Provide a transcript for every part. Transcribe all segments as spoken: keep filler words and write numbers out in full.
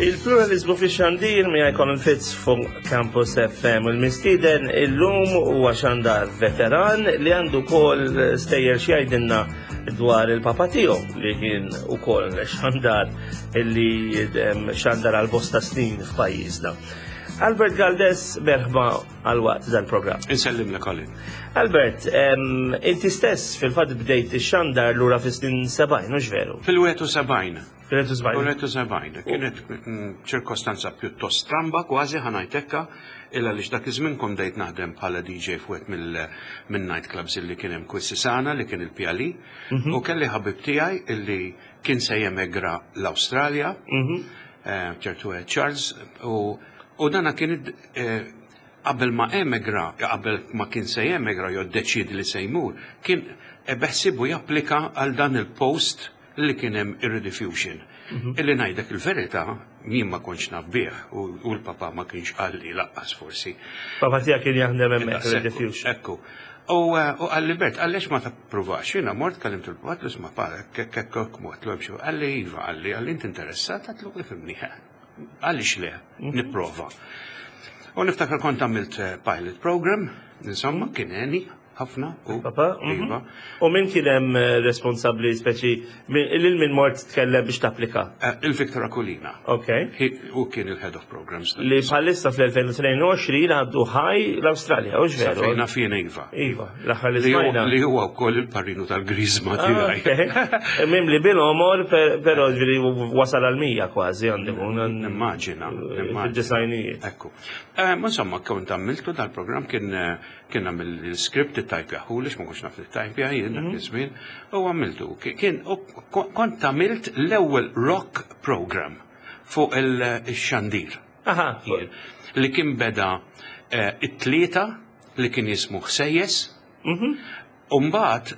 Il-pluralizmu fi xandir mi Colin Fitz fuq Campus F M u l-mistieden illum huwa xandar veteran li għandu kol stejjer x'jgħidilna dwar il-papa tiegħu li kien ukoll xandar li em, xandar għal bosta snin f'pajjiżna. Albert Galdes, merħba għal waqt dal-programm. Insellim lek, Colin. Albert, em, inti stess fil-fatt bdejt ix-xandar lura fis-snin sebgħin, mhux veru? Fil-wieħed u sebgħin. Fil-wieħed u sebgħin. Fil-wieħed u sebgħin. Kienet mm, ċirkostanza pjuttost stramba, kważi ħa ngħidlek, illa li dak iż-żmien kont bdejt naħdem bħala D J f'wieħed mill night clubs illi kien hemm Quisisana, li kien il-P L E, u kelli ħabib tiegħi illi kien se jemegra l-Awstralja, Mhm. eh, ċertu Charles, u u dana kien eh, qabel ma emigra, qabel ma kien se jemegra jew deċidi li se jmur, kien beħsibu japplika għal dan il-post li kien hemm ir-Rediffusion. Illi ngħidlek il-verità, jien ma kontx naf bih u u l-papa ma kienx qalli lanqas forsi. Papa tiegħek kien jaħdem hemmhekk Ekku, Rediffusion. Ekku. U eh, u qalli, "Bert, għaliex ma tappruvax?" Jiena mort kellimt il-papa, isma' pa, kek kek mort l Qalli iva, qalli, qalli inti interessat, għedtlu ifhimni. Għaliex le, nipprova. U niftakar kont għamilt eh, pilot program, insomma, kien għeni ħafna. U Papa? mhm. Iva. U min kien hemm eh, responsabbli speċi min- lil min mort tkellem biex tapplika? Eh, Il-Victor Aquilina. Ok. Hi- U kien il-head of programs. Li bħalissa fl-elfejn u tnejn u għoxrin għaddu ħaj l-Awstralja, u veru? Sa fejn naf jien, iva. Iva, l-aħħar li Li huwa- smajna. Li huwa wkoll il-parrinu tal-grizma Ah, tiegħi. ok. Mim li bil-omor, per- però ġifieri wasal għal mija kważi għandu. Nimmaġina, nimmaġina. Fid-disgħinijiet. Ekku. Eh, ma Insomma, kont għamiltu dal-program, kien eh, kien għamil il-script it-tajpja ħulix, ma kontx naf it-tajpja jien dak iż-żmien, u għamiltu. Kien u kont għamilt l-ewwel rock program fuq il-xandir. Aha, Jien, li kien beda eh, it-Tlieta li kien jismu Ħsejjes. Mhm. Umbagħad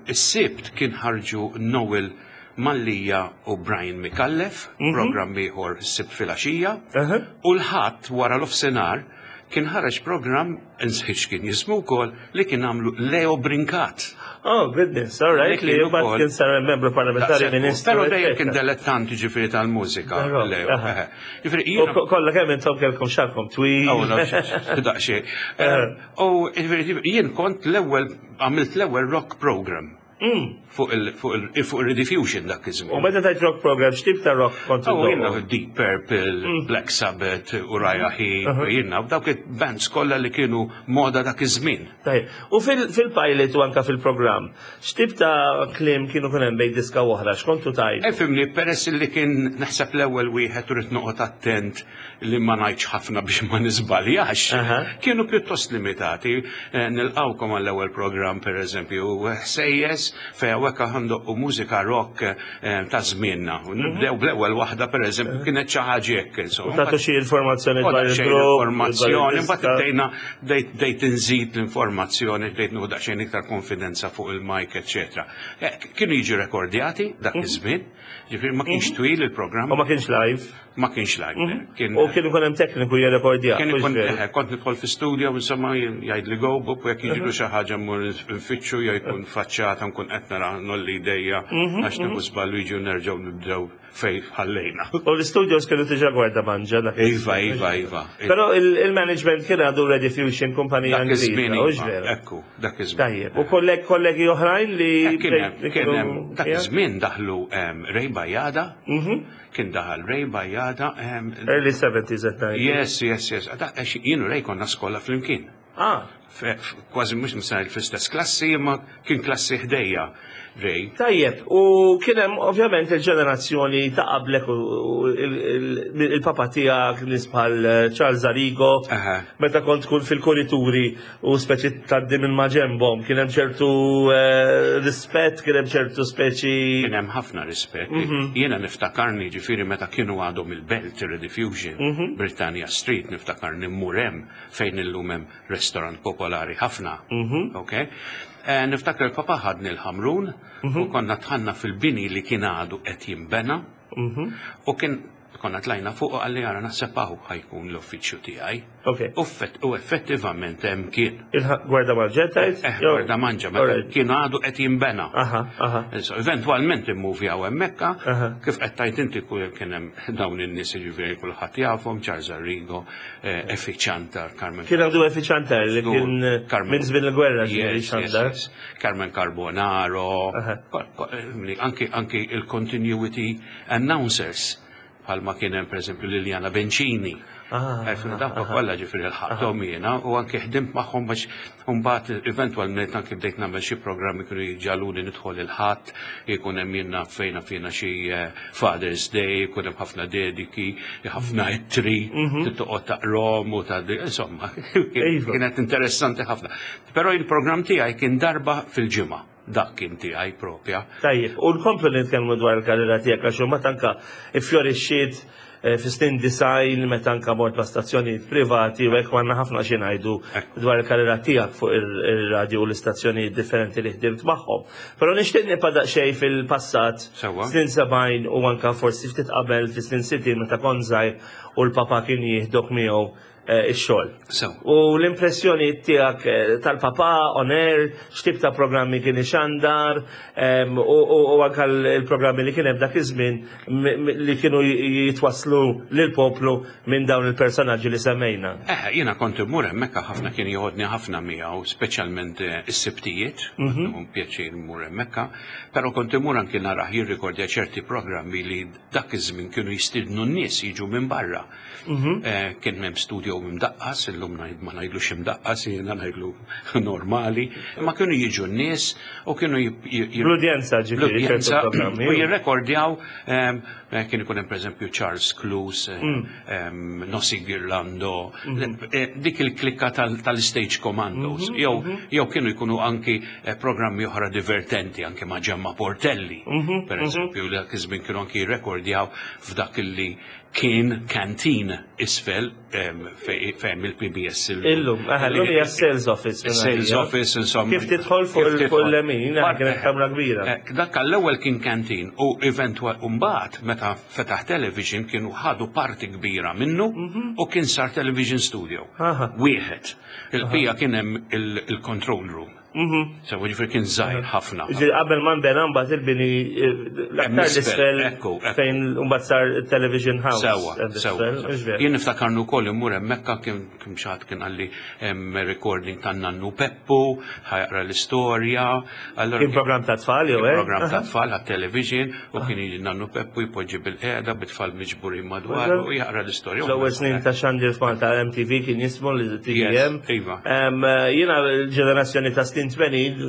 is-Sibt kien ħarġu Noel Mallija u Brian Micallef, program ieħor is-Sibt filgħaxija. Aha. U l-Ħadd wara l-ofsenar kien ħareġ program, insħiċ kien jismu wkoll, li kien għamlu Leo Brincat. Oh, goodness, all right. Li Li kien mbagħad ukoll- kien sar membru parlamentari, ministru. Pero dejjem kien eccetera. dilettant ġifieri tal-mużika, Però, Leo. aha. Eh, Ġifieri U jiena ko- kollha kemm intom kellkom xagħarkom twil. Oh, no, daqxie. U ġifieri jien kont l-ewwel għamilt l-ewwel rock program Mm. fuq il- fuq il- fuq il-Rediffusion dak U iż-żmien. meta tajt rock program, x'tip ta' rock kont Oh, jiena iddoqq? Deep Purple, Black Sabbath, Uriah Heep, jiena, u dawk il-bands kollha li kienu moda dak iż-żmien. Tajjeb. U fil- fil-pilot u anka fil-program, x'tip ta' kliem kienu kun hemm bejn diska u oħra, x'kontu tajt? Ifhimni, peress li kien naħseb l-ewwel wieħed u rrid noqgħod attent li ma ngħidx ħafna biex ma niżbaljax, Aha. kienu pjuttost limitati. Eh, Nilqawkom għall-ewwel program, per eżempju, Ħsejjes, fejn hawnhekk ħa ndoqqu mużika rock eh, ta' żmienna. U nibdew bl-ewwel waħda, per eżempju, kienet xi ħaġa hekk, insomma. Tagħtu xi informazzjoni U dwar daqsxejn il-grupp, informazzjoni, dwar mbagħad il-diska. bdejna bdejt bdejt inżid l-informazzjoni, bdejt nieħu daqsxejn iktar konfidenza fuq il-mic, eċetera. Eh, Kienu jiġu rekordjati dak iż-żmien, ġifieri ma kienx twil il-programm, U ma kienx live. Ma kienx live. Kien U kien ikun hemm tekniku jirrekordja. Kien mhux ikun veru? eh, kont nidħol fi studio, insomma, jgħid li go, bup, jekk jiġru xi ħaġa mmur nfittxu jew jkun faċċata nkun qed nara nolli idejja għax nieħu żball jiġu nerġgħu nibdew fej ħallejna. U l-studios kienu diġà Gwardamanġa dak Iva, iva, iva. Però il- il-management kien għadu Rediffusion, kumpanija Dak iż-żmien, Ingliża, hux iva, veru? ekku, dak iż-żmien. Tajjeb. U kolleg kollegi oħrajn li Eh, Kien hemm, li kien kienu- hemm, dak Ja? iż-żmien daħlu em, Ray Bajada, Mhm. kien daħal Ray Bajada. em, Early seventies at night. Yes, yes, yes. Da- għax jien u Ray konna skola flimkien. Ah, Fe- f- Kważi mhux nisajl fl-istess klassi, imma kien klassi ħdejja Ray. Tajjeb, u kien hemm ovvjament il-ġenerazzjoni ta' qablek u u il- il- il-papa tiegħek, nies bħal Charles Arrigo, Aha. meta kont tkun fil-kurituri u speċi tgħaddi minn maġenbhom, kien hemm ċertu eh, rispett, kien hemm ċertu speċi. Kien hemm ħafna rispett. Jiena niftakarni ġifieri meta kienu għadhom il-Belt Rediffusion, Britannia Street, niftakarni mmur hemm fejn illum hemm restaurant popolari ħafna. Ok? Eh, Niftakar il-papa ħadni l-Ħamrun u konna dħalna fil-bini li kien għadu qed jinbena u kien Konna tlajna fuq u qalli, "Ara, naħseb hawn ħa jkun l-uffiċċju tiegħi." Ok. U effett- U effettivament hemm kien. Il-Gwardamanġa tajt? Eh, Gwardamanġa, meta kien għadu qed jinbena. Aha, aha. Issa, eventualment immuvjaw hemmhekk, Aha. kif qed tajt inti kull kien hemm dawn in-nies, ġifieri kulħadd jafhom, Charles Arrigo, eh, Effie Ciantar, Carmen Kien għandu Effie Ciantar li kien eh, Carmen- minn żmien il-gwerra ġifieri Yes, yes, Ciantar. yes. Carmen Carbonaro, Aha. ko- ko- eh, anki anki il-continuity announcers, bħalma kien hemm pereżempju Liliana Bencini. Ah, Għarfina dawk kollha ġifieri lħaqthom jiena u anke ħdimt magħhom biex mbagħad eventwalment anke bdejt nagħmel xi programmi, kienu jġagħluni nidħol il-Ħadd, jkun hemm jiena fejna fejna xi eh, Father's Day, jkun hemm ħafna dediki, ħafna ittri, toqgħod taqrom u ta' insomma, Iva. kienet interessanti ħafna. Però il-programm tiegħi kien darba fil-ġimgħa, dak kien tiegħi propja. Tajjeb, u nkomplu nitkellmu dwar il-karriera tiegħek għax huma tanka ifjorixxiet eh, fi snin disgħin meta anka mort ma' stazzjonijiet privati u hekk, għandna ħafna xi ngħidu Ekku. dwar il-karriera tiegħek fuq ir- ir-radio u l-istazzjonijiet differenti li ħdimt magħhom. Però nixtieq nibqa' daqsxejn fil-passat, Sewwa. snin sebgħin u anka forsi ftit qabel fi snin sittin meta kont żgħir u l-papa kien jieħdok miegħu eh, ix-xogħol. Sew. U l-impressjoni tiegħek eh, tal-papa on air, x'tip ta' programmi kien ixandar, em, u, u, u anka l- il-programmi li kien hemm dak iż-żmien m- m- li kienu jitwaslu lill-poplu minn dawn il-personaġġi li semmejna. Eh, jiena kont immur hemmhekk ħafna, kien joħodni ħafna miegħu, speċjalment eh, is-Sibtijiet, mm pjaċir immur hemmhekk, però kont immur anki narah jirrikordja ċerti programmi li dak iż-żmien kienu jistidnu n-nies jiġu minn barra. Eh, Kien hemm studio imdaqqas, illum ngħid- ma ngħidlux imdaqqas, jiena ngħidlu normali, imma kienu jiġu n-nies u kienu jib- jib- L-udjenza ġifieri ċertu l-udjenza programmi. u jirrekordjaw, em, eh, kien ikun hemm pereżempju Charles Cluse, eh, em, Nossi Girlando, eh, dik il-klikka tal- tal-Stage Commandos, jew jew kienu jkunu anki eh, programmi oħra divertenti anke ma' Gemma Portelli, per eżempju, dak iż-żmien kienu anki jirrekordjaw f'dak illi kien canteen isfel em, fej- fejn il-P B S Illum, aha, illum hija sales office. Sales office, insomma. Kif tidħol fuq Kif il- fuq tidħol. il-lemin, Bar- kienet kamra kbira. Eh, Dak għall-ewwel kien canteen u eventwal mbagħad meta fetaħ television kienu ħadu parti kbira minnu u kien sar television studio. Aha. Wieħed. Il-bija kien hemm il- il-control room. So ġifieri kien żgħir ħafna. Ġifieri qabel ma nbena mbagħad il-bini eh, l-aktar isfel, l-isfel ekku, ekku. fejn mbagħad sar television house. Sewa, hemm sewa. isfel, mhux veru? Jien niftakarnu wkoll immur hemmhekk, kien kien xi ħadd kien qalli hemm recording tan nannu Peppu, ħa jaqra l-istorja. Allora Kien programm ta' tfal jew hekk? Program ta' tfal għat-television u kien jiġi nannu Peppu jpoġġi bil-qiegħda bit-tfal miġburin madwar u jaqra l-istorja. L-ewwel snin ta' xandir f'Malta M T V kien jismu li T V M. Yes, iva. Em, Jiena l-ġenerazzjoni ta' snin tmenin,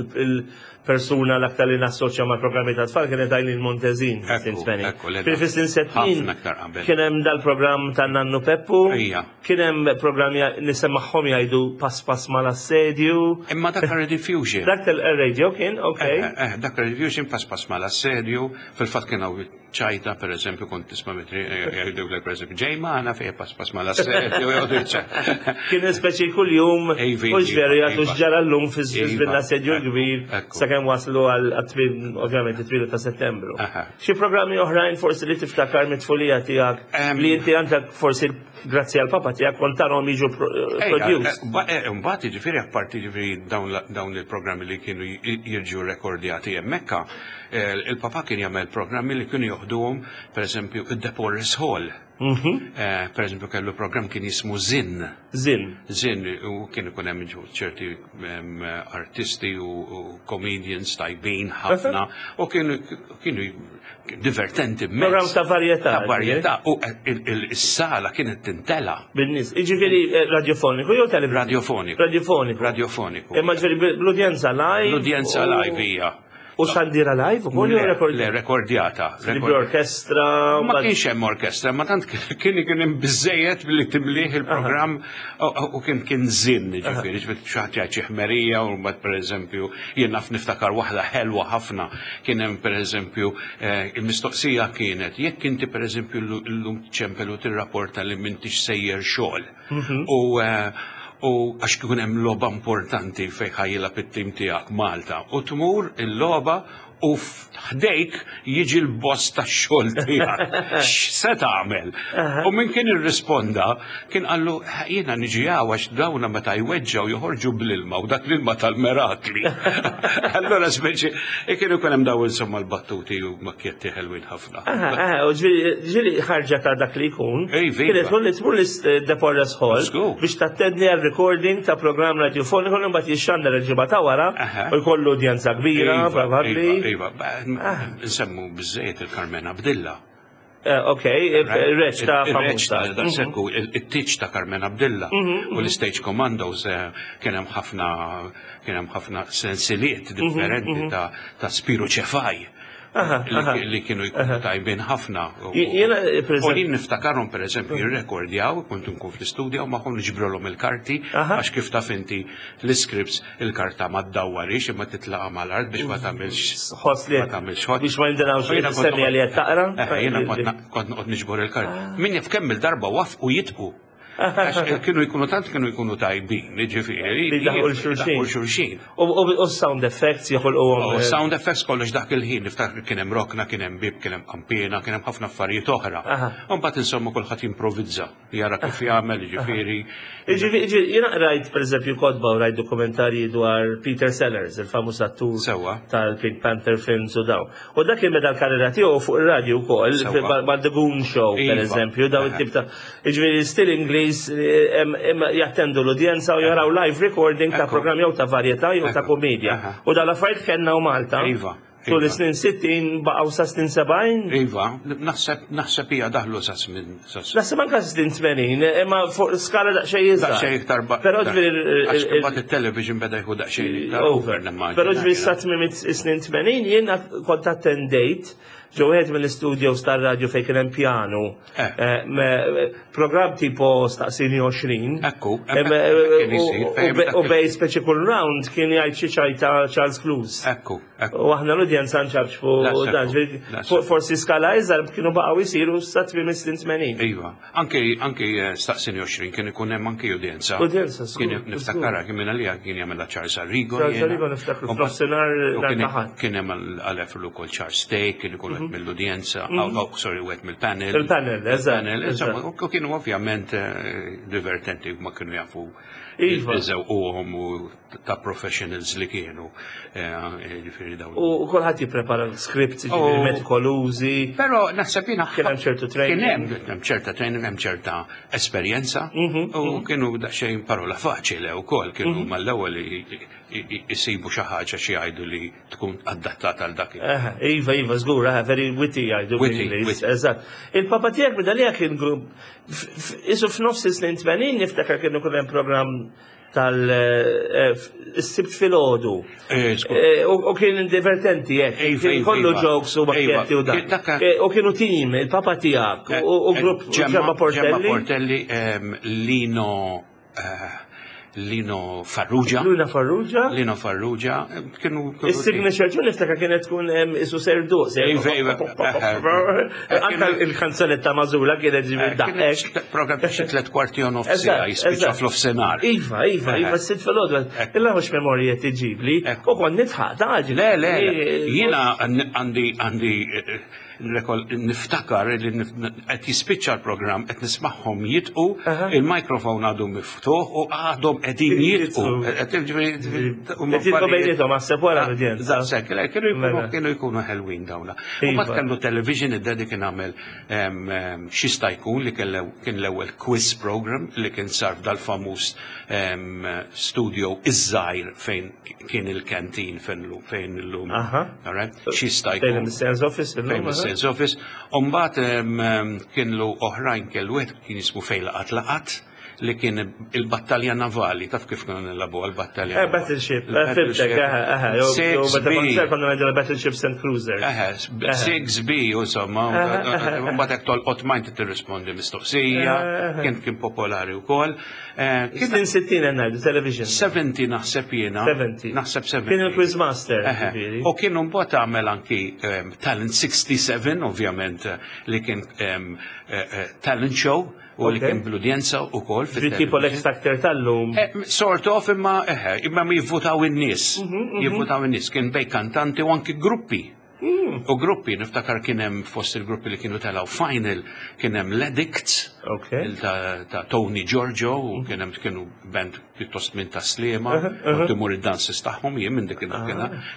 il-persuna l-aktar li nassoċja ma' programmi ta' tfal kienet Eileen Montezin Ekku, snin tmenin. ekku, le Fil snin settin ħafna aktar qabel. kien hemm dal-programm ta' Nannu Peppu. Ija. Kien hemm programm nisemmaħħom jgħidu "Pass pass mal-assedju". Imma dak Rediffusion. Dak tal-radio kien, ok. Eh, eh, dak Rediffusion, "Pass pass mal-assedju", fil-fatt kien hawn ċajta, per eżempju, kont tisma' mitri jgħidu per eżempju, "Ġej magħna fejn pass pass mal-assedju", jgħidu ċ- Kien speċi kull-jum, Iva, u veru jgħatu iva. x'ġara llum fi Iva, żmien l-assedju ekku, l-kbir, ekku. sakemm waslu għal tmien, ovvjament, it-tmien ta' Settembru. Aha. Xi programmi oħrajn forsi li tiftakar mit-tfulija tiegħek Em, li inti għandek forsi grazzi għal papa tiegħek kont tarahom jiġu pro- Ejja, produced? eh, ba- eh, Mbagħad jiġifieri apparti jiġifieri dawn la- dawn il-programmi li kienu j- jirġu rekordjati hemmhekk, eh, il-papa kien jagħmel programmi li kienu joħduhom pereżempju id-Deporres Hall. Mhm. Eh, Pereżempju kellu programm kien jismu Zin. Zin. Zin, u kien ikun hemm ġu ċerti em, artisti u, u comedians tajbin ħafna u kienu kienu divertenti immens. Programm ta' varjetà. Ta' varjetà u eh, il- il- is-sala kienet tintela. Bin-nies. Jiġifieri eh, radiofoniku jew television? Radiofoniku. Radiofoniku. Radiofoniku. Imma ġifieri bl-udjenza live. L-udjenza u- live hija. U xandira live ukoll jew Le, rekord? le, rekordjata. Li orkestra. Ma kienx hemm orkestra, ma tant kien kien hemm biżejjed billi timliħ il-programm u- u kien kien żinn, ġifieri, ġifieri xi ħadd jgħid xi ħmerija u mbagħad pereżempju jien naf niftakar waħda ħelwa ħafna, kien hemm pereżempju eh, il-mistoqsija kienet jekk inti pereżempju llum ċempel u tirrapporta li m'intix sejjer xogħol. U eh, u għax kien hemm logħba importanti fejn ħa jilgħab it-tim tiegħek Malta u tmur il-logħba U ħdejk jiġi l-boss tax-xogħol tiegħek. X'se tagħmel? U min kien irrisponda kien qallu, "Jiena niġi hawn għax dawna meta jweġġgħu joħorġu bl-ilma u dak l-ilma tal-merakli." Allora speċi kien ikun hemm daw insomma l-battuti u makkjetti ħelwin ħafna. Aha, aha, u ġifieri ġifieri ħarġa ta' dak li jkun. Ej, viva. Kienet tkun li tmur l-De Porres Hall Żgur. biex tattendi għal recording ta' programm radiofoniku li mbagħad jixxandar il-ġimgħa ta' wara Aha. u jkollu udjenza kbira, Iva, probabbli. Iva, iva, ba- nsemmu biżejjed il-Carmen Abdilla. Eh, Ok, il-reċ ta' Il-reċ ta' famusa. daqshekk it-tiċ ta' Carmen Abdilla u l-Stage Commandos, eh, kien hemm ħafna kien hemm ħafna sensiliet differenti ta' ta' Spiru Ċefaj Aha, aha. li li kienu jkunu tajbin ħafna. U- Jiena, per U eżempju- jien niftakarhom, per eżempju, jirrekordjaw, kont nkun fl-istudja u magħhom niġbrolhom il-karti Aha. għax kif taf inti l-scripts, il-karta ma ddawwarix imma titlaqa mal-art biex ma tagħmilx Ħoss li ma tagħmilx ħoss. biex ma jindunawx U jiena kont semmi li qed taqra. Eh, jiena kont na- kont noqgħod niġbor il-karti. Min jaf kemm il-darba wafqu jitqu. Għax kienu jkunu tant kienu jkunu tajbin, ġifieri. Li daħqu l-xulxin. Daħqu l-xulxin. U u- u sound effects joħolquhom. U sound effects kollox dak il-ħin, niftakar kien hemm rokna, kien hemm bib, kien hemm kampina, kien hemm ħafna affarijiet oħra. Aha. U mbagħad insomma kulħadd jimprovizza, jara kif jagħmel, ġifieri. Ġifieri, ġifieri, jiena rajt per eżempju kotba u rajt dokumentarji dwar Peter Sellers, il-famuż attur Sewwa. tal-Pink Panther films u daw. U dak kien beda l-karriera tiegħu fuq ir-radju wkoll, Sewwa. ma' The Goon Show, per Iva. eżempju, daw it-tip ta' ġifieri still Ingliż, eh, em- em jattendu l-udjenza u jaraw live recording ta' Ekku. programm jew ta' varjetà jew ta' Ekku. komedja. Aha. U dal-affarijiet kellna u Malta. Iva, Tul iva. is-snin sittin baqgħu sa snin sebgħin. Iva, naħseb naħseb hija daħlu sa żmien sa Naħseb anka snin tmenin, imma fuq skala daqsxejn iżgħar. Daqsxejn iktar ba- Però ġifieri Għax imbagħad it-television beda jieħu daqsxejn iktar over. nimmaġina. Però ġifieri sa tmiem is-snin tmenin jiena kont attendejt ġo wieħed mill-studios tar-radju fejn kien hemm piano. Eh. Eh, me- Programm tipo Staqsini għoxrin. Ekku, Em, hemmhekk eh, kien isir, u- fejn u be- dak U il- bej speċi kull round kien jgħid xi ċajta Charles Clues. Ekku, ekku. U aħna l-udjenza nċabxfu Daqshekk, dan, ġifieri, daqshekk. forsi skala iżgħar kienu baqgħu jsiru sa tmiem is-snin tmenin. Iva, anke anke eh, Staqsini għoxrin kien ikun hemm anke udjenza. Udjenza, żgur, Kien niftakarha kien minn għalija kien jagħmilha Charles Arrigo. Charles jiena. Arrigo niftakru U mbagħad- f'nofsinhar u nhar kien- ta' Ħadd. Kien hemm għal ukoll Charles Steak, kien ikun qed mill-udjenza, oh, oh, sorry, wieħed mill-panel. Il-panel, eżatt, Il-panel, insomma, eżatt. u kienu ovvjament eh, divertenti, ma kienu jafu Iva. iżewquhom u ta' professionals li kienu. eh, eh, Ġifieri dawn. U kulħadd jipprepara scripts, ġifieri U- metikolużi. Però naħseb jiena Kien hemm ċertu training. Kien hemm hemm ċerta training, hemm ċerta esperjenza Mhm, u kienu daqsxejn parola faċili wkoll, kienu mal-ewwel i- i- i- isibu xi ħaġa xi jgħidu li tkun adattata għal dak. il- Aha, Iva, Iva, żgur, aha, very witty jgħidu Witty, bl-Ingliż, witty. eżatt. Il-papa tiegħek bidalija kien grupp, f- f- isu f'nofs is-snin tmenin niftakar kienu kull hemm programm tal-Sibt filgħodu. Eh, żgur. Eh, U u kien divertenti jekk, Iva, kien iva, kollu iva. jokes u makkjetti u Iva. dan. Kien dakka- Eh, U kienu team, il-papa tiegħek u u grupp Gemma Ġemma Gemma Portelli. Portelli, ehm, Lino eh, Lino Farrugia. Luna Farrugia. Lino Farrugia, eh, kienu kienu- Il-signature tune niftakar kienet tkun em, isu serdu. Iva, iva. Anka il-kanzonetta mażula kienet ġifieri Eh, daqek. kienet program ta' xi tliet kwarti u nofs siegħa, Eżatt, jispiċċa eżatt. fl-offsenar. Iva, iva, iva, s-sitt filgħodu. Illa mhux memorja tiġibli. Ekku. U kont nidħaq, ta' Le, le, le. Jiena għandi għandi eh, rekol- niftakar li nif- qed jispiċċa l-programm, qed nismagħhom jitqu, Aha. il-mikrofon għadu miftuħ u għadhom qegħdin jitqu. Jitqu. Qed jiġifieri- huma Qed jitqu affarijiet- bejniethom, għas-seb wara l-udjenza. Daqshekk, le, kienu jkunu Mela. kienu jkunu ħelwin dawna. U Iva. mbagħad kellu television, id-daddy kien għamel em, em, xista jkun li kien l- kien l-ewwel quiz program li kien sar f'dal-famuż em, studio iż-żgħir fejn kien il-kantin fejn lu- fejn illum. Aha. Alright? Xista Fejn jkun. il-Sales Office. illum, Fejn aha. il-sales office. Umbat kien lu oħrajn, kellu wieħed kien jismu Fejn Laqat Laqat li kien il-battalja navali, taf kif kienu nilagħbu għal-battalja Eh, Battleship, eh, fhimtek, aha, aha. Jew- jew meta kont ser konna ngħidu Battleship Stand Cruiser. Eħe, six B, insomma, mbagħad hekk tolqot ma inti tirrispondi mistoqsija, kien kien popolari wkoll. Eh, Kien Snin sittin qed ngħidu, television. sebgħin naħseb jiena. sebgħin. Naħseb sebgħin. Kien il-Quizmaster, Eħe. ġifieri. U kienu mbagħad għamel anki em, Talent sittaħxin, ovvjament, eh, li kien em, eh, eh, talent show u li Ok. kien bl-udjenza u kol. ukoll Tipo l-X Factor tal-lum. Eh, sort of, imma eħe, imma mi jivvutaw in-nies. Jivvutaw in-nies, kien bejn kantanti u anki gruppi. U gruppi, niftakar kien hemm fost il-gruppi li kienu telgħu final, kien hemm l-Addicts, Ok. il ta', ta' Tony Giorgio, u kien hemm kienu band pjuttost minn ta' Sliema, u timur id-dances tagħhom jien minn dik il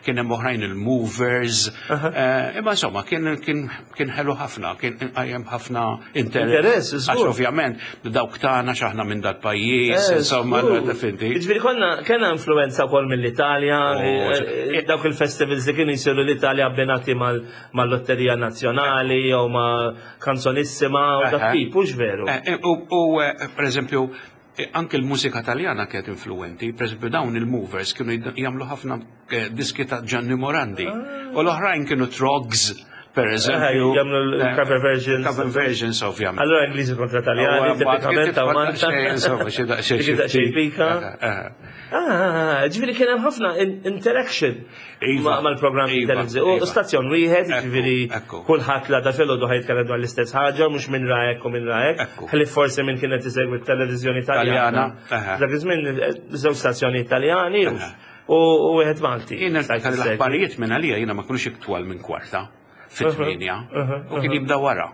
kien hemm oħrajn il-Movers, eh, imma insomma kien kien kien ħelu ħafna, kien qajjem ħafna interess. Interess, Għax żgur. ovvjament dawk tagħna x'aħna minn dal-pajjiż, Eh, insomma, żgur. finti. Ġifieri konna kena influenza wkoll mill-Italja, Oh, eh, eh, dawk il-festivals li kienu jsiru l-Italja abbinati mal- mal-Lotterija Nazzjonali jew ma' Kanzonissima u dak Aha. tip, hux veru. Eh, eh, U, u eh, per eżempju, eh, anke l-mużika taljana kienet influenti, per eżempju dawn il-Movers kienu jid- jagħmlu ħafna eh, diski ta' Gianni Morandi. U l-oħrajn kienu Trogs, per eżempju. Eh, jagħmlu l-cover versions. Cover versions, ovvjament. Allora Ingliżi kontra Taljani, tipikament ta' Malta. Insomma, xi daqsxejn. Dik daqsxejn pika. Eh, eh. Ah, ġifieri kien hemm ħafna in- interaction Iva, ma- mal-programmi iva, televiżivi. U iva. stazzjon wieħed, Ekku, ġifieri ekku. kulħadd la da filgħodu ħa jitkellem dwar l-istess ħaġa, mhux minn ra hekk u minn ra hekk. Ekku. Ħlief forsi minn kienet isegwi t-televiżjoni Taljana. Taljana, aha. Dak iż-żmien eh, żewġ stazzjoni Italjani u- Aha. u u wieħed Malti. Jien Stajt niftakar issegwi. l-aħbarijiet minn għalija jiena ma kinux iktwal minn kwarta fit-tmienja aha, u kien jibda wara.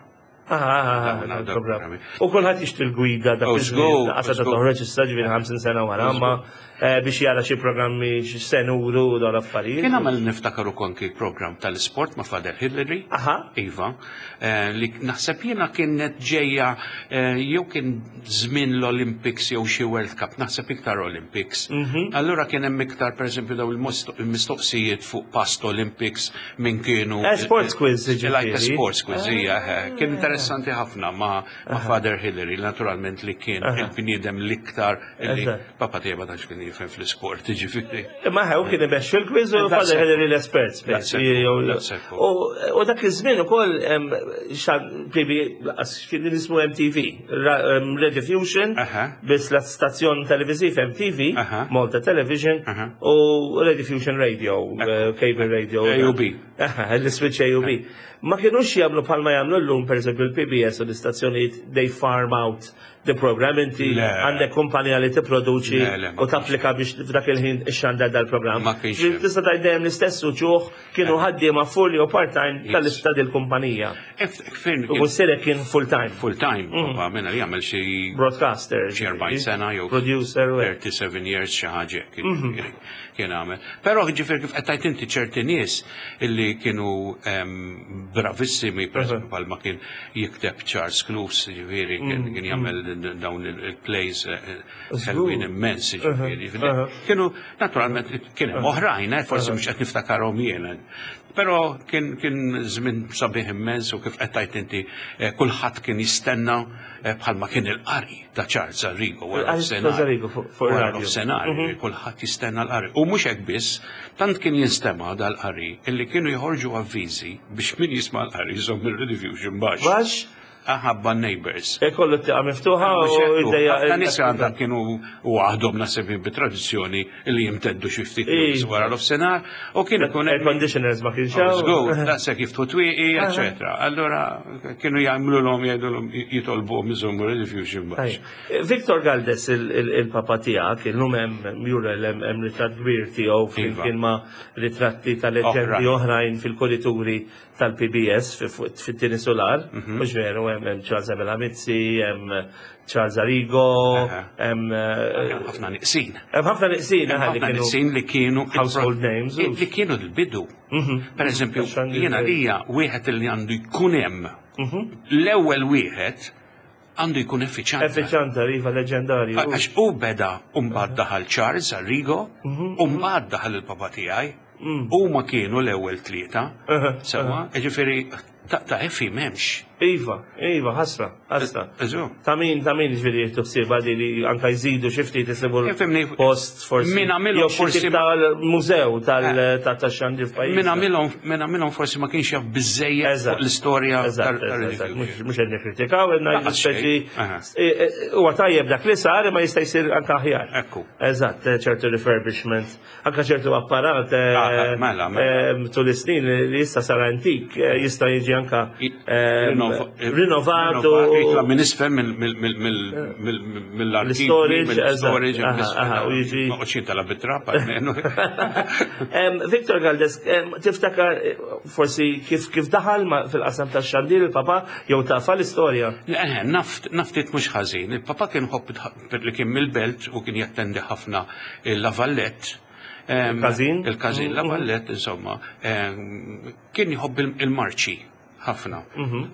Ah, ah, ah, Dawn, dawn, il-programm. programmi. U kulħadd jixtri l-gwida dak Oh, iż-żmien, żgur, qasha ta' żgur. toħroġ issa ġifieri ħamsin sena wara, imma eh, biex jara xi programmi xi senuru u dawn l-affarijiet. Kien għamel niftakar ukoll kien program tal-sport ma' Father Hillary. Aha. Iva, eh, li naħseb jiena kienet ġejja eh, jew kien żmien l-Olympics jew xi World Cup, naħseb iktar Olympics. Mhm. Allura kien hemm iktar pereżempju daw il-mistoqsijiet fuq past Olympics minn kienu. Eh, sports quiz, Like a ġifieri. sports quiz, hija, eh, Kien interessanti ħafna ma' ma' Father Hillary, naturalment li kien il-bniedem l-iktar li Eżatt. papa tiegħi ma tantx kien jifhem fl-isport, ġifieri. Imma ħew kien imexxu l-quiz u That's Father it. Hillary l-espert. That's it. That's it. U u dak iż-żmien ukoll em, xan P B kien ismu M T V, Ra- em, Radio Fusion, Aha. biss la stazzjon televiżiv M T V, Aha. Malta Television, Aha. u Radio Fusion Radio, eh, Cable Radio. A U B. Aha, l-switch A U B. Ma kienux jagħmlu bħalma jagħmlu llum, per eżempju, l-P B S u l-istazzjonijiet, they farm out the program, inti Le. għandek kumpanija li tipproduċi Le, le, ma u tapplika biex f'dak il-ħin ixxandar dal-programm. Ma kienx hemm. Tista' tgħid dejjem l-istess uċuħ kienu ħaddiema full jew part-time Yes. tal-istad il-kumpanija. Fejn U missierek kien full-time. Full time, papa minna li jagħmel xi Broadcaster. Xi erbgħin sena jew Producer u hekk. thirty-seven years xi ħaġa hekk kien kien għamel. Però ġifier kif qed tgħid inti ċerti nies illi kienu em, bravissimi, per eżempju bħalma kien jikteb Charles Close, ġifieri kien kien jagħmel dawn il-plays eh, ħelwin immens, ġifieri. Kienu naturalment kien hemm oħrajn, eh, forsi mhux qed niftakarhom jiena. Però kien kien żmien sabiħ immens u kif qed tgħid inti eh, kulħadd kien jistenna eh, bħalma kien il-qari ta' Charles Arrigo wara Il-qari ta' nofsinhar. Arrigo fuq- fuq Wara il-radio. nofsinhar, kulħadd jistenna l-qari. U mhux hekk biss, tant kien jinstema' dal-qari illi kienu jħorġu avviżi biex min jisma' l-qari jżomm il-Rediffusion baxx. Baxx, Aħabba neighbors. ikollu t-tieqa miftuħa u jdejja. Ħafna nies għandha kienu u għahdhom naħseb bit-tradizzjoni li jimteddu xi ftit Iva. wara l-ofsenar u kien ikun Air conditioners ma kienx hawn. Żgur, daqshekk jiftħu twieqi, eċetera. Allora kienu jagħmlu l-hom jgħidulhom jitolbuhom iżommu Rediffusion baxx. Ajja. Victor Galdes, il- il- il-papa tiegħek, illum hemm mural, hemm hemm ritratt kbir tiegħu flimkien ma' ritratti ta' leġendi Oħrajn. oħrajn fil-kurituri tal-P B S fi- fu- fit-tieni solar, mhux veru, hemm hemm Charles Abela Mizzi, hemm Charles Arrigo, Aha. hemm eh, Ħafna niqsin. hemm ħafna niqsin aha, li Ħafna kienu niqsin li kienu household names. Li kienu l-bidu. Per eżempju, Għax għandi jiena l- lija wieħed li għandu jkun hemm. L-ewwel wieħed għandu jkun effiċjenti. Effiċjanta, iva, leġendarju. Għax u beda mbagħad daħal Charles Arrigo, u mbagħad daħal il-papa tiegħi. Huma kienu l-ewwel tlieta. Aha, Sewwa, ġifieri ta' ta' Effi m'hemmx. Iva, iva, ħasra, ħasra. Eżu. Ta' min, ta' min ġifieri jieħdu ħsieba di li anka jżidu xi ftit isibu Ifhimni, post forsi. min għamilhom Jew xi forsi- tip tal-mużew tal- ta' ta' xandir f'pajjiżna. Min għamilhom min għamilhom forsi ma kienx jaf biżejjed Eżatt. fuq l-istorja Eżatt, tal- eżatt, eżatt. tal-Rediffusion. Mhux mhux qed nikkritikaw, qed ngħidu Lanqas speċi xejn. Aha. huwa tajjeb dak li sar imma jista' jsir anka aħjar. Ekku. Eżatt, eh, ċertu refurbishment, anka ċertu apparat eh, Ah, mela, mela. eh, tul is-snin li issa sar antik eh, jista' jiġi anka ehm, rinnovat u Jitla minn isfel mill-arkiv. L-storage, Mill-storage. eżatt, aha, aha, u jiġi- Ma qoċin tala bit-trap, almenu. Em, Victor Galdes, em, tiftakar eh, forsi kif kif daħal ma- fil-qasam tax-xandir il-papa jew tafa l-istorja? Eh, Naft, naftit mhux ħażin. Il-papa kien ħobb li kien mill-belt u kien jattendi ħafna il-La Vallette. Em, Il-każin? Il-każin, La Vallette, insomma. em, Kien jħobb il- il-marċi ħafna.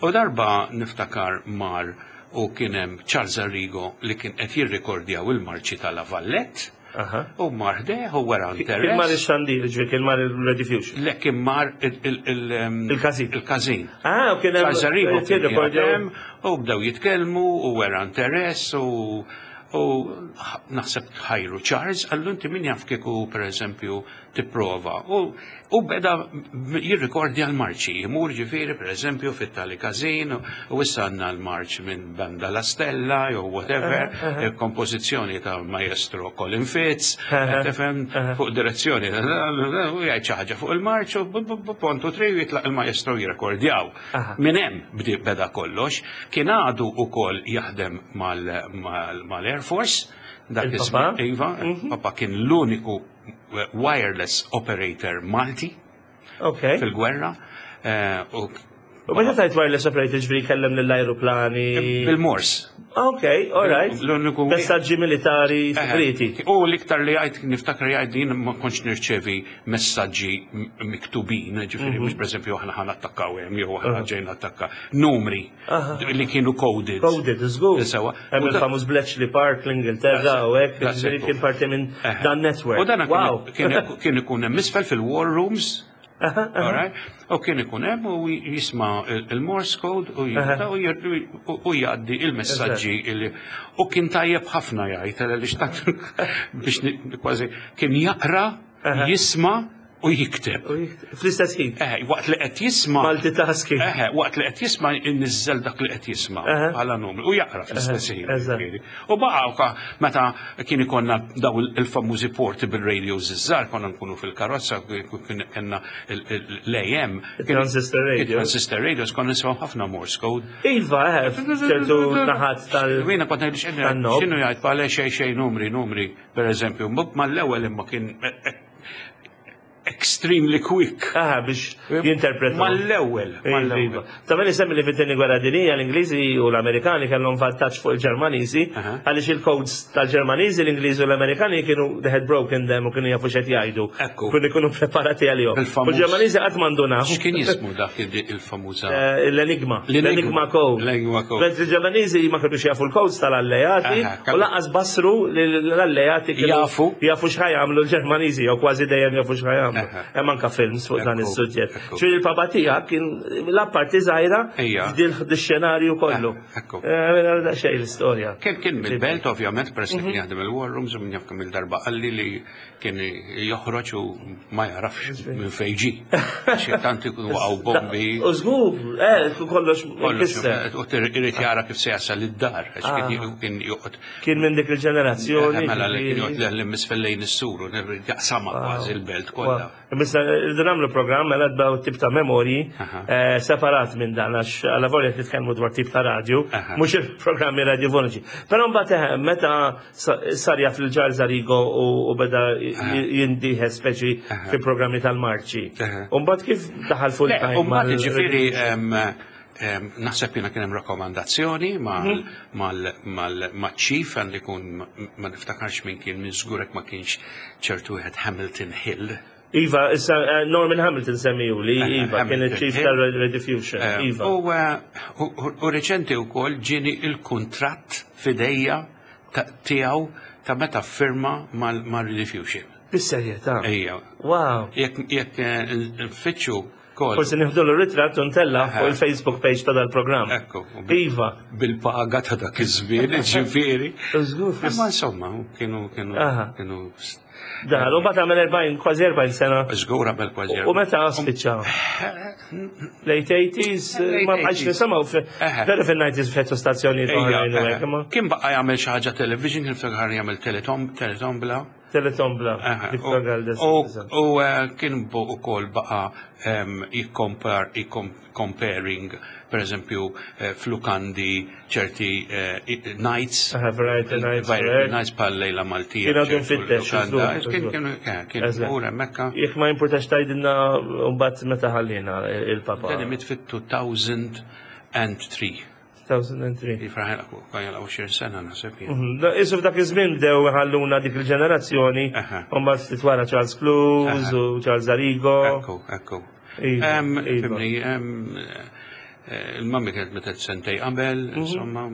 U darba niftakar mar u kien hemm Charles Arrigo li kien qed jirrikordjaw il-marċi tal-La Vallette. Aha. U mar ħdejh u wera Kien mar interess. ix-xandir, ġifieri kien mar il-Rediffusion. Le kien mar il- il- il- em, Il-każin. Il-każin. Ah, u kien hemm Charles Arrigo kien kien rikordjaw. hemm u bdew jitkellmu u wera interess u u naħseb ħajru Charles għallu inti min jaf kieku per eżempju tipprova u u beda jirrikordja l-marċi jimur ġifieri per eżempju fit-tali każin u issa għandna l-marċ minn Banda La Stella jew whatever kompożizzjoni ta' maestro Colin Fitz tifhem fuq direzzjoni u jgħid xi ħaġa fuq il-marċ u bu- bu- bu- pontu tri jitlaq il-maestro jirrekordjaw. Aha. Minn hemm bdi beda kollox, kien għadu wkoll jaħdem mal- mal- mal-Air Force, dak Il-papa? iż-żmien, Iva, papa kien l-uniku wireless operator Malti Ok. fil-gwerra. eh, u U meta tajt wireless operator ġifieri kellem lill-ajruplani. Bil-Morse. Ok, all right. L-uniku Messaġġi militari segreti. Eh, U l-iktar li għajt, niftakar li għajt din ma kontx nirċevi messaġġi m- miktubin, ġifieri, Mhm. mhux per eżempju aħna ħan attakkaw hemm, jew aħna ġejna attakka. Numri li kienu coded. Coded, żgur. Sewa. Hemm U da- il-famuż Bletchley Park l-Ingilterra u hekk, That's ġifieri it. kien parti minn Eh. dan network. U dan Wow. kien kien ikun hemm isfel fil-war rooms. Alright? U kien ikun hemm u jisma' il- il-Morse code u jibda u jir- u u jgħaddi il-messaġġi illi u kien tajjeb ħafna jgħid għaliex tant biex ni- kważi kien jaqra, jisma' u jikteb. U jik- Fl-istess ħin. Eh, waqt li qed jisma' Multitasking. Eh, waqt li qed jisma' inniżżel dak li qed jisma' Aha. bħala numru u jaqra fl-istess ħin. Eżatt. ġifieri. U baqa' ka- meta kien ikonna daw il- il-famużi portable radios iż-żgħar konna nkunu fil-karozza kien kellna l-A M. Il-transistor radio. Il-transistor radios konna nisimgħu ħafna Morse code. Iva, eh, ċertu naħat tal. Jiena kont ngħid x'inhu tan-nob. x'inhu jgħid bħala xejn xejn numri numri per eżempju, mal-ewwel imma kien eh, eh, extremely quick. Aha, biex jinterpreta. Mal-ewwel, mal-ewwel. Ta' meni semmi li fit-tieni gwerra dinija l-Ingliżi u l-Amerikani kellhom vantaġġ fuq il-Ġermaniżi Aha. għaliex il-codes tal-Ġermaniżi, l-Ingliżi u l-Amerikani kienu they had broken them u kienu jafu x'qed jgħidu. Ekku. Kienu ikunu preparati għalihom. Il-famuż- U l-Ġermaniżi qatt m'għandunaw. X'kien jismu dak il- il-famuża? Eh, L-Enigma. L-Enigma. L-Enigma code. L-Enigma code. Mentre il-Ġermaniżi ma kienux jafu l-codes tal-alleati Aha, u kellu- lanqas basru li l-alleati kienu Jafu. jafu x'ħa jagħmlu l-Ġermaniżi jew kważi dejjem jafu x'ħa jagħmlu. Aha. Hemm anka films fuq dan Ekku, is-suġġett. ekku. Ġifieri il-papa tiegħek kien l-apparti żgħira Ejja. f'dil xenarju kollu. Eh, ekku. Eh, da xejn l-istorja. Kien kien mill-belt, ovvjament, peress li kien jaħdem il-war rooms, u minn jaf kemm il-darba qalli li kien joħroġ u ma jarafx minn fejn ġie. Xi tant ikunu waqgħu bombi. U żgur, eh, kollox Kollox, ikisser. u irid jara kif se jasal id-dar, għax kien kien joqgħod Kien minn dik il-ġenerazzjoni. Eh, mela li kien ġifieri. joqgħod l lejn is-sur u jaqsama kważi l-belt kollha. Missa, rridu nagħmlu programm mela dbaw tip ta' memorji Aha. eh, separat minn dan għax għala volja titkellmu dwar tip ta' radju, Aha. mhux il-programmi radiofoniċi. Però mbagħad eh, meta sa- sar jaf il-Charles Arrigo u u beda jindiħe speċi fi programmi tal-marċi. Aha. U mbagħad kif daħal full Le, time u mbagħad mal- ġifieri em, em, naħseb jiena kien hemm rakkomandazzjoni mal mal mal maċ-chief għandi jkun ma niftakarx min kien minn żgurek ma kienx ċertu wieħed Hamilton Hill. Iva, issa eh, Norman Hamilton semmiju li Eh, Iva kien Hamilton il-chief Hill. tal-Rediffusion. Eh, Iva. U eh, u- u- u reċenti wkoll ġieni il-kuntratt f'idejja ta- tiegħu ta' meta firma mal-Rediffusion. Bis-serjetà. Ejja. Wow. Jekk jekk eh, nfittxu kol Forsi nieħdu l-ritratt u ntella fuq Aha. il-Facebook page ta' dal-programm. Ekku, u bil- Iva. bil-paga ta' dak iż-żmien, ġifieri. Żgur, Imma insomma, kienu kienu Aha. kienu Daħal, u bat għamel erbgħin, kważi erbgħin sena. żgur qabel kważi. U meta spiċċa? Late eighties, Late ma bqajx eighties. nisimgħu Eħe. veru fin-nineties fettu stazzjoni Ejja, oħrajn u eħe. hekk, imma. Kien baqa jagħmel xi ħaġa television, kien ftakar jagħmel teletom, teletombla. Telethon bla, Aha, Victor u- Galdes. U u, eh, kien bu ukoll baqa em, jikkompar, comparing, per eżempju, eh, f'lukandi ċerti eh, i- nights. Aha, variety nights, Variety correct. nights bħal Lejla Maltija. Kien għadu ċertu mfittex, lukanda. żgur, Kien żgur. kien eh, kien Eżatt. mur hemmhekk. Jekk ma jimpurtax tgħidilna mbagħad meta ħallina il-papa. Dan miet fit-two thousand and three. two thousand and three. Jifraħ għal għoxrin sena naħseb jien. Mhm. Da- Isu f'dak iż-żmien bdew ħalluna dik il-ġenerazzjoni, Aha. u mbagħad ftit wara Charles Close Aha. u Charles Arrigo. Ekku, ekku. Iva, Em, iva. Fhimni, em, eh, il-mummy kienet mietet sentejn qabel, Mhm. insomma,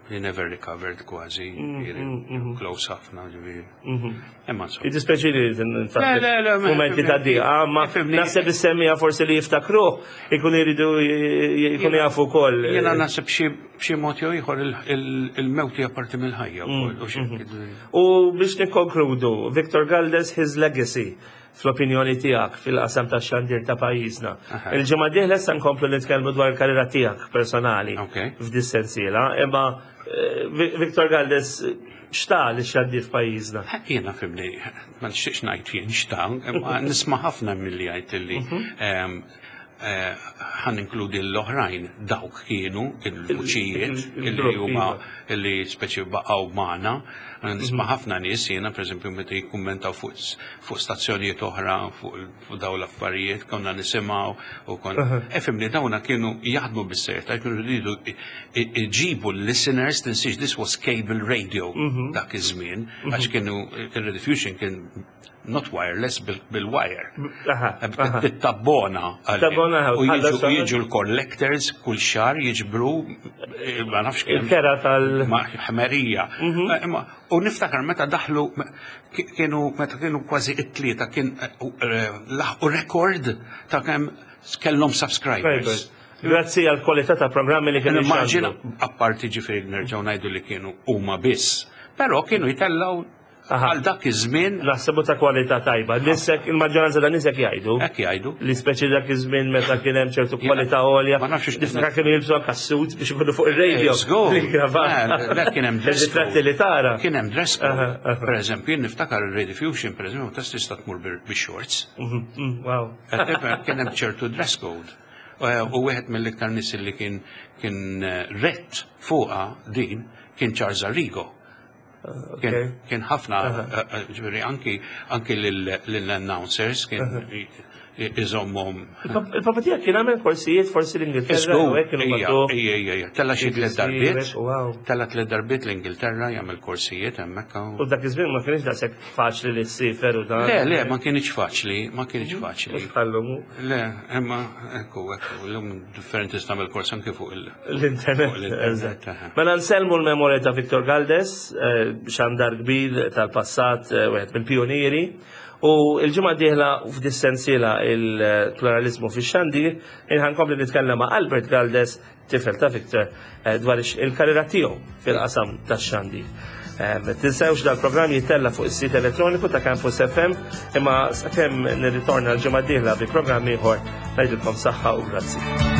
he never recovered kważi, mhm, close ħafna, ġifieri. Imma insomma. Jiddispjaċini li Le, le, le, ma- momenti ta' diqa, ma Fhimni. naħseb is-semmiegħa forsi li jiftakruh ikun iridu jkunu jafu wkoll. Jiena naħseb xi b'xi mod jew ieħor il- il- il-mewt hija parti mill-ħajja wkoll, u xi- U biex nikkonkludu, Victor Galdes, his legacy fl-opinjoni tiegħek fil-qasam ta' xandir ta' pajjiżna. Aha. Il-ġimgħa dieħla issa nkomplu nitkellmu dwar il-karriera tiegħek personali Ok. f'dis-sensiela, imma eh, Vi- Victor Galdes x'ta lix-xandir f'pajjiżna? Jiena fhimni, ma nixtieqx ngħid jien x'ta, imma nisma' ħafna milli jgħid illi em, eh, ħa ninkludi l-oħrajn dawk kienu il-vuċijiet illi Il-grupp, huma iva. illi speċi baqgħu magħna. Nisma' ħafna nies jiena, pereżempju, meta jikkummentaw fuq fuq stazzjonijiet oħra fuq fuq dawn l-affarijiet konna nisimgħu u kon Efimni dawna kienu jaħdmu bis-serjetà, kienu jridu iġibu l-listeners. Tinsiex, this was cable radio dak iż-żmien, għax kienu il-Rediffusion kien not wireless, bil- bil-wire. Aha, aha. Tabbona. Tabbona, U jiġu tħallas xahar. Jiġu l-collectors kull xahar jiġbru, eh, ma nafx kemm. Il-kera tal- Ma ħmerija. Eh, Imma u niftakar meta daħlu ki- kienu meta kienu kważi it-tlieta kien eh, eh, laħqu rekord ta' kemm kellhom subscribers. Grazzi għal kwalità ta' programmi li kienu Immaġina, jxandru. Apparti ġifieri nerġgħu ngħidu li kienu huma biss, però kienu jtellgħu Aha. għal dak iż-żmien. Naħsebu ta' kwalità tajba. Nisek, il-maġġoranza ta' nisek jgħidu Hekk jgħidu. Li speċi dak iż-żmien meta kien hemm ċertu kwalità għolja. Ma nafx Niftakar kienu jilbsu anka suit biex ikunu fuq ir-radio. Żgur. Bil-kravatta. Le, le, kien hemm dress code. Ir-ritratti li tara. Kien hemm dress code. Aha, aha. Per eżempju, jien niftakar il-Rediffusion, per eżempju, ta' tista' tmur bil- bix-shorts. Mhm, mhm, Wow. Kien hemm ċertu dress code. U wieħed mill-iktar nies li kien kien eh, rett fuqha din kien Charles Arrigo. Kien Okay. kien ħafna, eh, eh, ġifieri anki anki lill-announcers kien iżommhom. Il-papa tiegħek kien għamel korsijiet forsi l-Ingilterra Żgur, u hekk kienu ija, bagħtuh. ija, ija, ija. Tella xi tliet B B C, darbiet. Wow. Tella tliet darbiet l-Ingilterra jagħmel korsijiet hemmhekk. U dak iż-żmien ma kienx daqshekk faċli li ssiefer u dan. Le, le, ma kienx faċli, ma kienx faċli. Mhux bħallum Le, imma ekku, ekku, l-lum differenti tagħmel kors anke fuq il- l-internet. Fuq l-internet, Eżatt. aha. Mela nsellmu l-memorja ta' Victor Galdes, eh, xandar kbir tal-passat, eh, wieħed mill-pionieri. U il-ġimgħa dieħla f'dis-sensiela il-pluralizmu fix-xandir, ħa nkompli nitkellem ma' Albert Galdes, tifel ta' Victor, eh, dwar il-karriera tiegħu fil-qasam tax-xandir. Eh, Tinsewx dal-programm jittella fuq is-sit elettroniku ta' Campus F M, imma sakemm nirritorna l-ġimgħa dieħla bi programm ieħor ngħidilkom saħħa u grazzi.